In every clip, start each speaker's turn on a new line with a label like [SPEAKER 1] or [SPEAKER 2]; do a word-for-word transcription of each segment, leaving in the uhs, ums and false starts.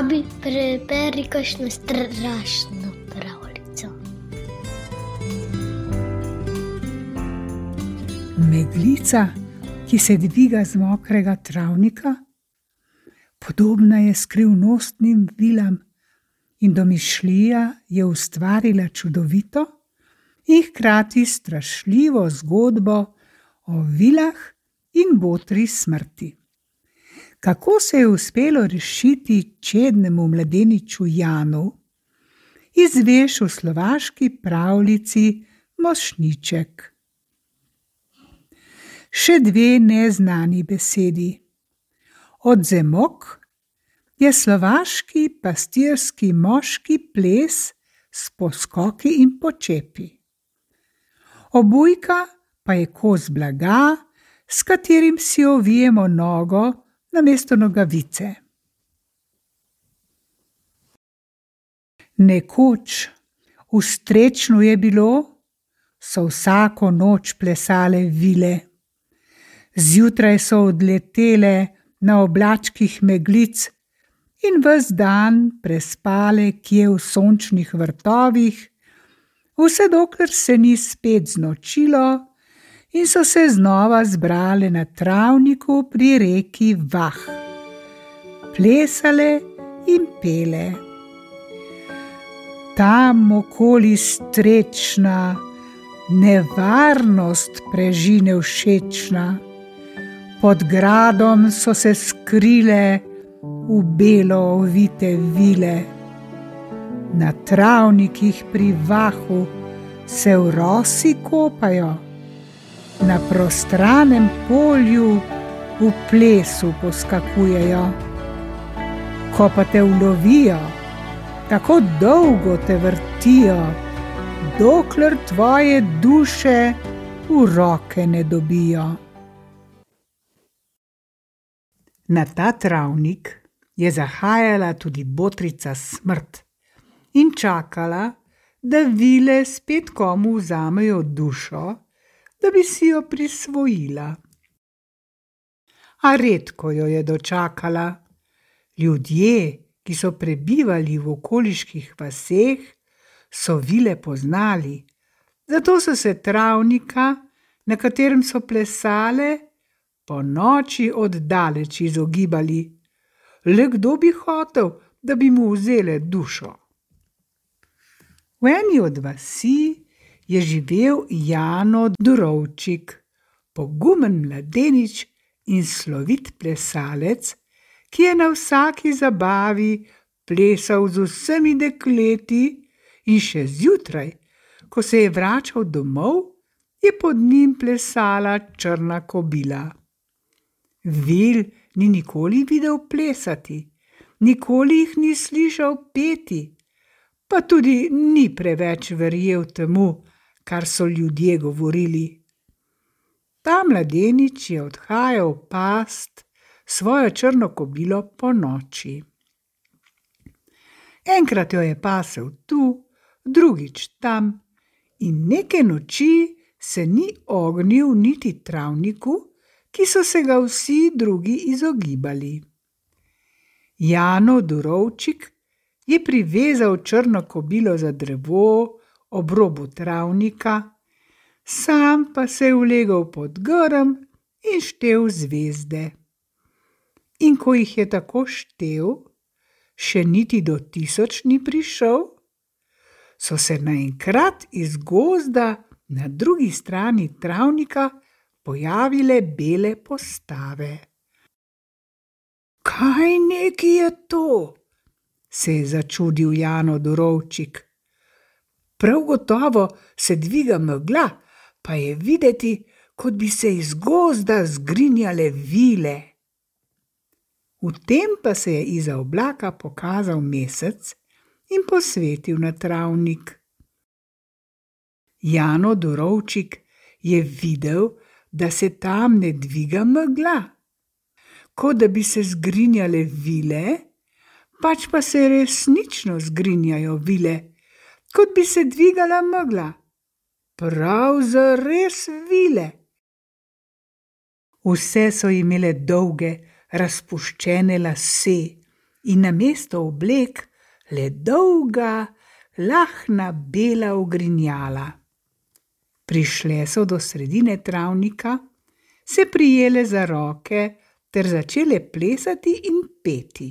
[SPEAKER 1] Babi, preberi kakšno strašno pravljico.
[SPEAKER 2] Meglica, ki se dviga z mokrega travnika, podobna je skrivnostnim vilam in domišljija je ustvarila čudovito in hkrati strašljivo zgodbo o vilah in botri smrti. Kako se je uspelo rešiti čednemu mladeniču Janu, izveš v slovaški pravljici Mošnjiček. Še dve neznani besedi. Odzemok je slovaški pastirski moški ples s poskoki in počepi. Obujka pa je kos blaga, s katerim si ovijemo nogo namesto nogavice. Nekoč v Strečnu je bilo, so vsako noč plesale vile. Zjutraj so odletele na oblačkih meglic in ves dan prespale kje v sončnih vrtovih, vse dokler se ni spet znočilo in so se znova zbrale na travniku pri reki Vah. Plesale in pele. Tam okoli Strečna nevarnost prežine všečna. Pod gradom so se skrile v belo ovite vile. Na travnikih pri Vahu se v rosi kopajo, na prostranem polju v plesu poskakujejo. Ko pa te ulovijo, tako dolgo te vrtijo, dokler tvoje duše v roke ne dobijo. Na ta travnik je zahajala tudi botrica Smrt in čakala, da vile spet komu vzamejo dušo, da bi si jo prisvojila. A redko jo je dočakala. Ljudje, ki so prebivali v okoliških vaseh, so vile poznali, zato so se travnika, na katerem so plesale, po noči oddaleč izogibali. Le kdo bi hotel, da bi mu vzele dušo? V eni od vasi je živel Jano Durovčik, pogumen mladenič in slovit plesalec, ki je na vsaki zabavi plesal z vsemi dekleti in še zjutraj, ko se je vračal domov, je pod njim plesala črna kobila. Vil ni nikoli videl plesati, nikoli jih ni slišal peti, pa tudi ni preveč verjel temu, kar so ljudje govorili. Ta mladenič je odhajal past svojo črno kobilo po noči. Enkrat jo je pasel tu, drugič tam in neke noči se ni ognil niti travniku, ki so se ga vsi drugi izogibali. Jano Durovčik je privezal črno kobilo za drevo ob robu travnika, sam pa se je ulegel pod grm in štel zvezde. In ko jih je tako štel, še niti do tisoč ni prišel, so se naenkrat iz gozda na drugi strani travnika pojavile bele postave. Kaj neki je to? Se je začudil Jano Durovčik. Prav gotovo se dviga megla, pa je videti, kot bi se iz gozda zgrinjale vile. V tem pa se je izza oblaka pokazal mesec in posvetil na travnik. Jano Durovčik je videl, da se tam ne dviga megla, kot da bi se zgrinjale vile, pač pa se resnično zgrinjajo vile, kot bi se dvigala megla. Prav zares vile. Vse so imele dolge, razpuščene lase in namesto oblek le dolga, lahna bela ogrinjala. Prišle so do sredine travnika, se prijele za roke ter začele plesati in peti.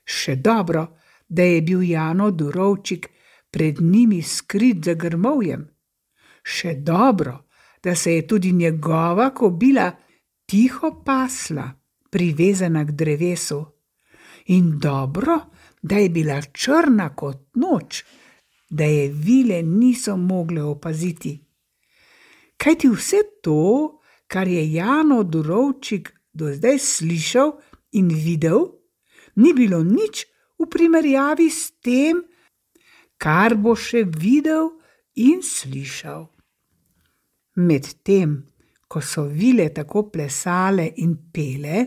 [SPEAKER 2] Še dobro, da je bil Jano Durovčik pred njimi skrit za grmovjem. Še dobro, da se je tudi njegova kobila tiho pasla, privezana k drevesu. In dobro, da je bila črna kot noč, da je vile niso mogle opaziti. Kajti vse to, kar je Jano Durovčik do zdaj slišal in videl, ni bilo nič v primerjavi s tem, kar bo še videl in slišal. Medtem, ko so vile tako plesale in pele,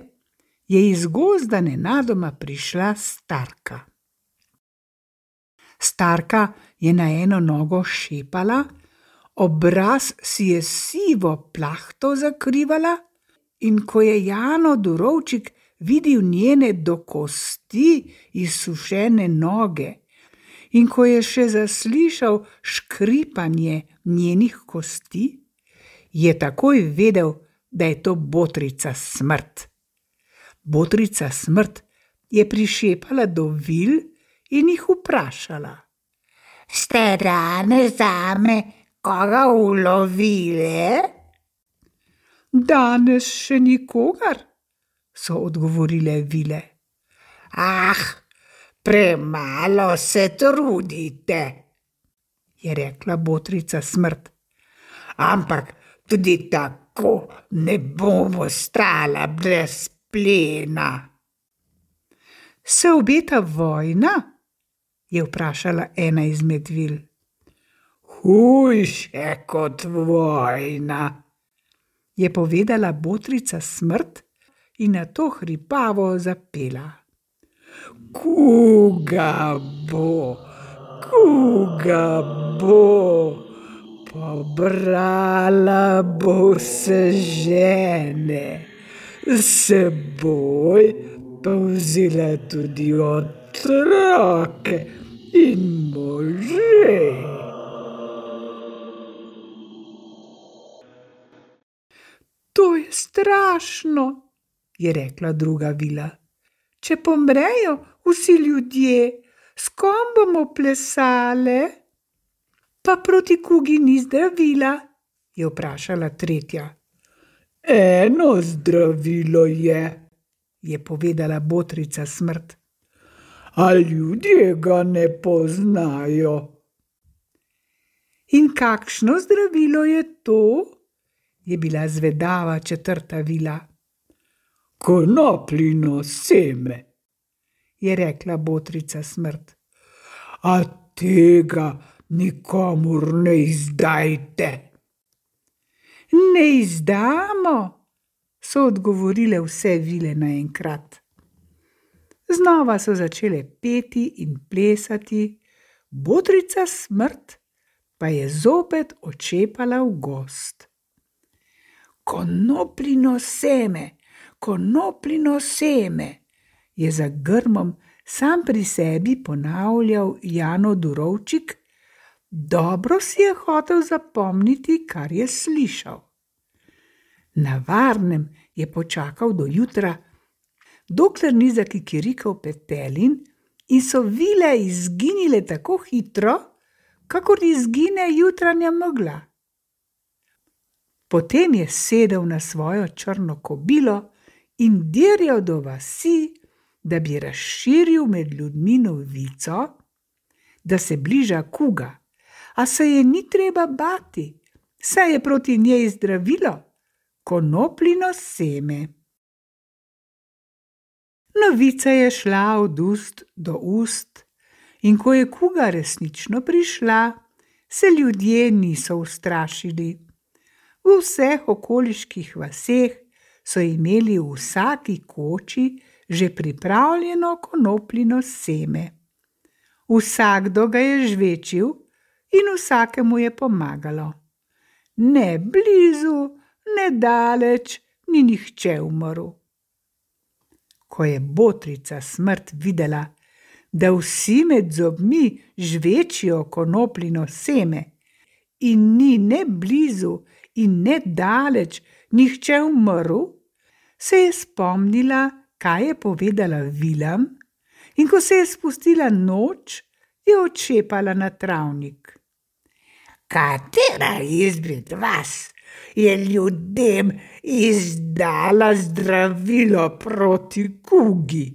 [SPEAKER 2] je iz gozda nenadoma prišla starka. Starka je na eno nogo šepala, obraz si je sivo plahto zakrivala, in ko je Jano Durovčik videl njene do kosti izsušene noge, in ko je še zaslišal škripanje njenih kosti, je takoj vedel, da je to botrica Smrt. Botrica Smrt je prišepala do vil in jih vprašala: "Ste danes zame koga ulovile?" "Danes še nikogar," so odgovorile vile. "Ah, premalo se trudite," je rekla botrica Smrt. "Ampak tudi tako ne bomo stala brez plena." "Se obeta vojna?" je vprašala ena izmed vil. "Hujše kot vojna," je povedala botrica Smrt in nato hripavo zapela. "Kuga bo, kuga bo, pobrala bo se žene, seboj pa vzela tudi otroke in može." "To je strašno," je rekla druga vila. "Če pomrejo vsi ljudje, s kom bomo plesale?" "Pa proti kugi ni zdravila?" je vprašala tretja. "Eno zdravilo je," je povedala botrica Smrt. "A ljudje ga ne poznajo." "In kakšno zdravilo je to?" je bila zvedava četrta vila. "Konopljino seme," je rekla botrica Smrt. "A tega nikomur ne izdajte." "Ne izdamo," so odgovorile vse vile naenkrat. Znova so začele peti in plesati, botrica Smrt pa je zopet odšepala v gozd. "Konopljino seme, konopljino seme," je za grmom sam pri sebi ponavljal Jano Durovčik. Dobro si je hotel zapomniti, kar je slišal. Na varnem je počakal do jutra, dokler ni zakikirikal petelin in so vile izginile tako hitro, kakor izgine jutranja megla. Potem je sedel na svojo črno kobilo in dirjal do vasi, da bi razširil med ljudmi novico, da se bliža kuga, a se je ni treba bati, saj je proti njej zdravilo, konopljino seme. Novica je šla od ust do ust, in ko je kuga resnično prišla, se ljudje niso ustrašili. V vseh okoliških vaseh so imeli v vsaki koči že pripravljeno konopljino seme. Vsakdo ga je žvečil in vsakemu je pomagalo. Ne blizu, ne daleč, ni nihče umrl. Ko je botrica Smrt videla, da vsi med zobmi žvečijo konopljino seme in ni ne blizu in ne daleč nihče umrl, se je spomnila, kaj je povedala vilam, in ko se je spustila noč, je odšepala na travnik. Katera izmed vas je ljudem izdala zdravilo proti kugi?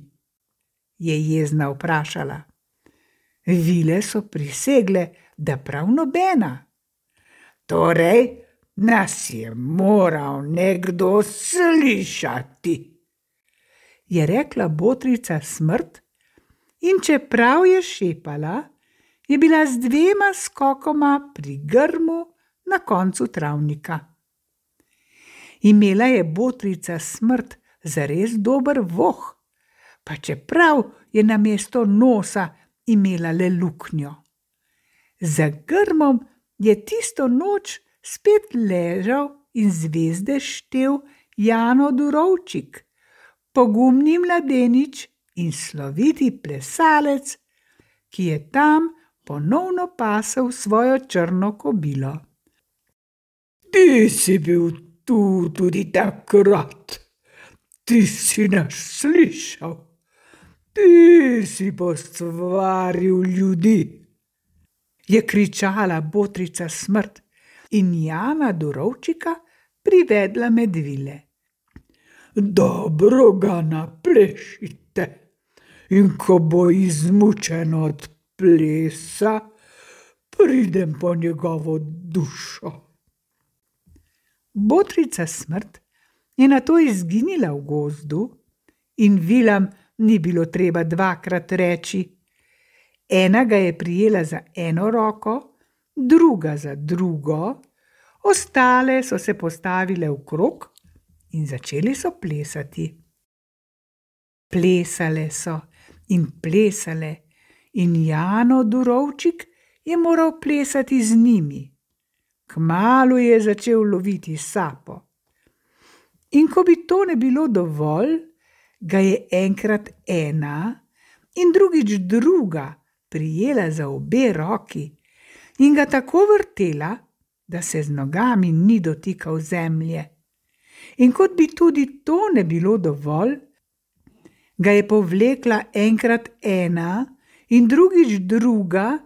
[SPEAKER 2] Je jezna vprašala. Vile so prisegle, da prav nobena. Torej, nas je moral nekdo slišati, je rekla botrica Smrt, in čeprav je šepala, je bila z dvema skokoma pri grmu na koncu travnika. Imela je botrica Smrt zares dober voh, pa čeprav je namesto nosa imela le luknjo. Za grmom je tisto noč spet ležal in zvezde štel Jano Durovčik, pogumni mladenič in sloviti plesalec, ki je tam ponovno pasel svojo črno kobilo. Ti si bil tu tudi takrat, ti si nas slišal, ti si postvaril ljudi, je kričala botrica Smrt in Jana Durovčika privedla med vile. Dobro ga naplešite, in ko bo izmučen od plesa, pridem po njegovo dušo. Botrica Smrt je nato izginila v gozdu in vilam ni bilo treba dvakrat reči. Ena ga je prijela za eno roko, druga za drugo, ostale so se postavile v krog in začeli so plesati. Plesale so in plesale in Jano Durovčik je moral plesati z njimi. Kmalu je začel loviti sapo. In ko bi to ne bilo dovolj, ga je enkrat ena in drugič druga prijela za obe roki in ga tako vrtela, da se z nogami ni dotikal zemlje. In kot bi tudi to ne bilo dovolj, ga je povlekla enkrat ena in drugič druga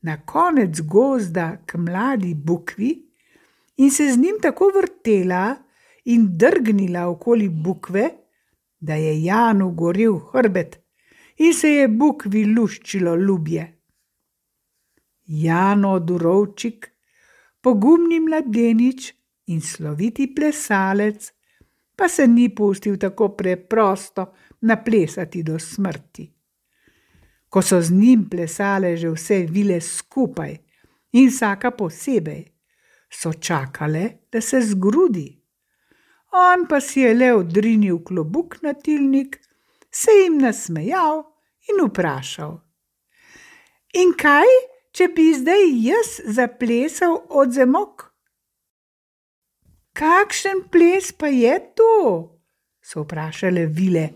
[SPEAKER 2] na konec gozda k mladi bukvi in se z njim tako vrtela in drgnila okoli bukve, da je Janu gorel hrbet in se je bukvi luščilo ljubje. Jano Durovčik, pogumni mladenič in sloviti plesalec, pa se ni pustil tako preprosto naplesati do smrti. Ko so z njim plesale že vse vile skupaj in vsaka posebej, so čakale, da se zgrudi. On pa si je le odrinil klobuk na tilnik, se jim nasmejal in vprašal. In kaj, če bi zdaj jaz zaplesal odzemok? Kakšen ples pa je to? So vprašale vile.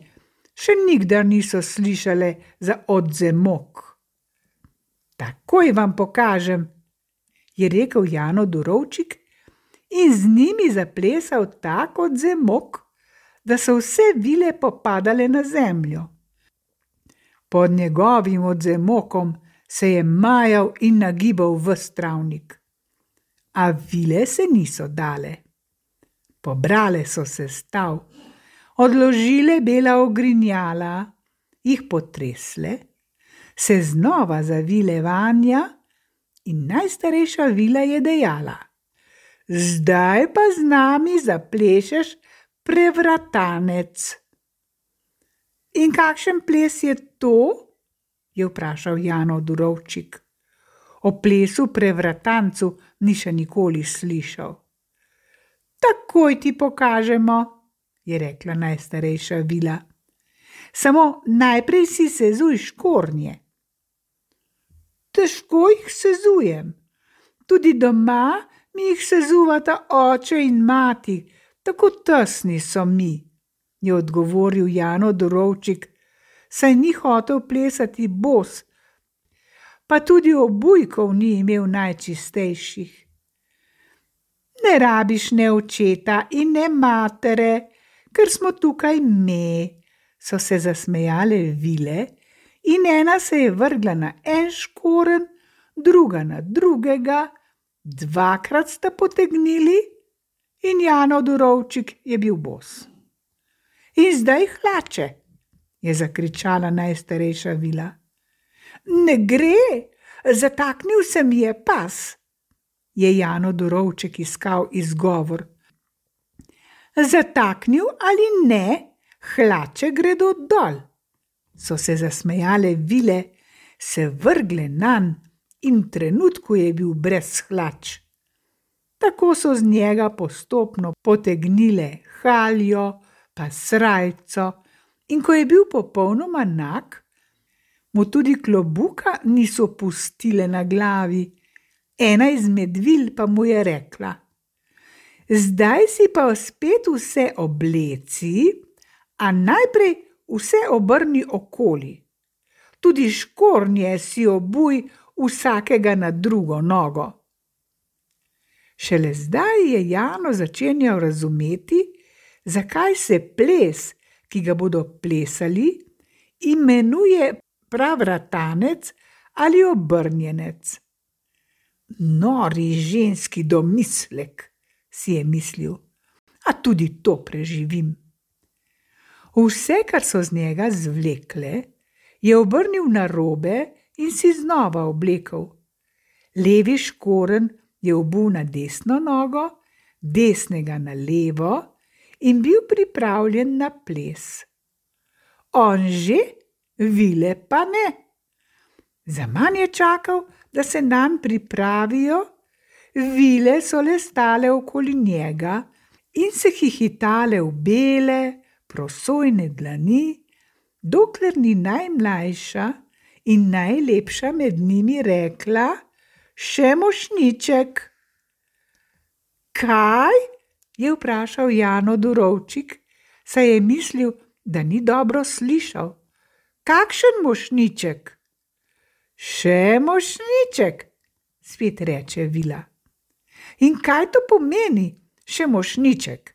[SPEAKER 2] Še nikdar niso slišale za odzemok. Takoj vam pokažem, je rekel Jano Durovčik in z njimi zaplesal tak odzemok, da so vse vile popadale na zemljo. Pod njegovim odzemokom se je majal in nagibal ves travnik. A vile se niso dale. Pobrale so se stav, odložile bela ogrinjala, jih potresle, se znova zavile vanja in najstarejša vila je dejala: Zdaj pa z nami zaplešeš prevratanec. In kakšen ples je to? Je vprašal Jano Durovčik. O plesu prevratancu ni še nikoli slišal. Takoj ti pokažemo, je rekla najstarejša vila. Samo najprej si sezuj škornje. Težko jih sezujem. Tudi doma mi jih sezuvata oče in mati, tako tesni so mi, je odgovoril Jano Dorovčik, saj ni hotel plesati bos, pa tudi obujkov ni imel najčistejših. Ne rabiš ne očeta in ne matere, ker smo tukaj me, so se zasmejale vile in ena se je vrgla na en škorenj, druga na drugega, dvakrat sta potegnili in Jano Dorovčik je bil bos. In zdaj hlače, je zakričala najstarejša vila. Ne gre, zataknil se mi je pas, je Jano Dorovčik iskal izgovor. Zataknil ali ne, hlače gredo dol, so se zasmejale vile, se vrgle nanj in v trenutku je bil brez hlač. Tako so z njega postopno potegnile haljo, pa srajco, in ko je bil popolnoma nag, mu tudi klobuka niso pustile na glavi. Ena izmed vil pa mu je rekla: zdaj si pa spet vse obleci, a najprej vse obrni okoli. Tudi škornje si obuj vsakega na drugo nogo. Šele zdaj je Jano začenjal razumeti, zakaj se ples, ki ga bodo plesali, imenuje pravratanec ali obrnjenec. Nori ženski domislek, si je mislil, a tudi to preživim. Vse, kar so z njega zvlekle, je obrnil narobe in si znova oblekel. Levi škorenj je obul na desno nogo, desnega na levo in bil pripravljen na ples. On že, vile pa ne. Zaman je čakal, da se nanj pripravijo, vile so le stale okoli njega in se hihitale v bele, prosojne dlani, dokler ni najmlajša in najlepša med njimi rekla: še mošnjiček. Kaj? Je vprašal Jano Dorovčik, saj je mislil, da ni dobro slišal. Kakšen mošnjiček? Še mošnjiček, spet reče vila. In kaj to pomeni, še mošnjiček?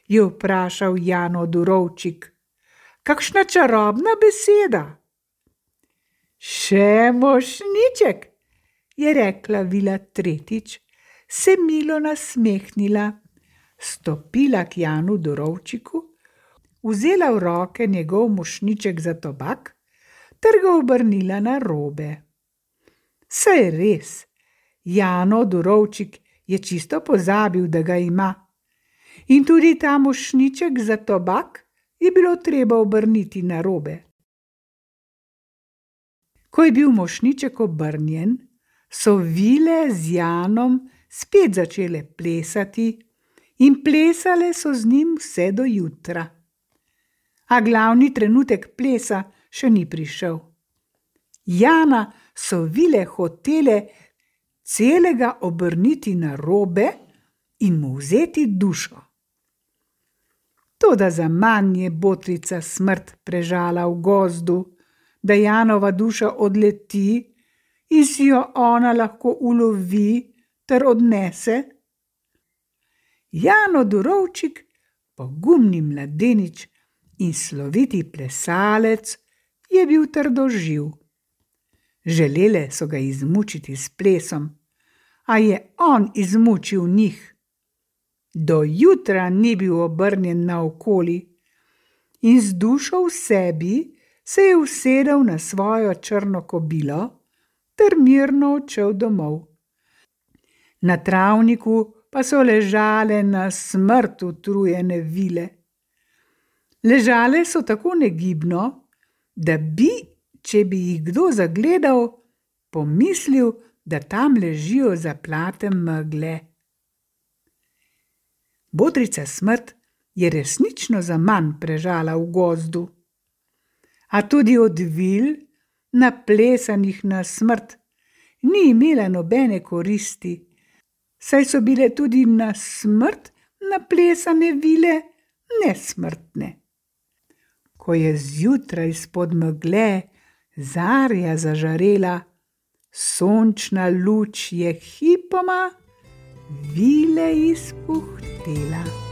[SPEAKER 2] Je vprašal Jano Dorovčik. Kakšna čarobna beseda? Še mošnjiček, je rekla vila tretjič, se milo nasmehnila, stopila k Janu Dorovčiku, vzela v roke njegov mošnjiček za tobak ter ga obrnila na robe. Saj res, Jano Dorovčik je čisto pozabil, da ga ima. In tudi ta mošnjiček za tobak je bilo treba obrniti na robe. Ko je bil mošnjiček obrnjen, so vile z Janom spet začele plesati in plesale so z njim vse do jutra. A glavni trenutek plesa še ni prišel. Jana so vile hotele celega obrniti na robe in mu vzeti dušo. Toda zaman je botrica smrt prežala v gozdu, da Janova duša odleti in si jo ona lahko ulovi ter odnese. Jano Dorovčik, pogumni mladenič in sloviti plesalec, je bil trdoživ. Želele so ga izmučiti s plesom, a je on izmučil njih. Do jutra ni bil obrnjen naokoli in z dušo v sebi se je usedel na svojo črno kobilo ter mirno odšel domov. Na travniku pa so ležale na smrt utrujene vile. Ležale so tako negibno, da bi, če bi jih kdo zagledal, pomislil, da tam ležijo zaplate megle. Botrica smrt je resnično zaman prežala v gozdu. A tudi od vil, naplesanih na smrt, ni imela nobene koristi, saj so bile tudi na smrt naplesane vile nesmrtne. ko je zjutraj spod megle zarja zažarela, sončna luč je hipoma vile izpuhtela.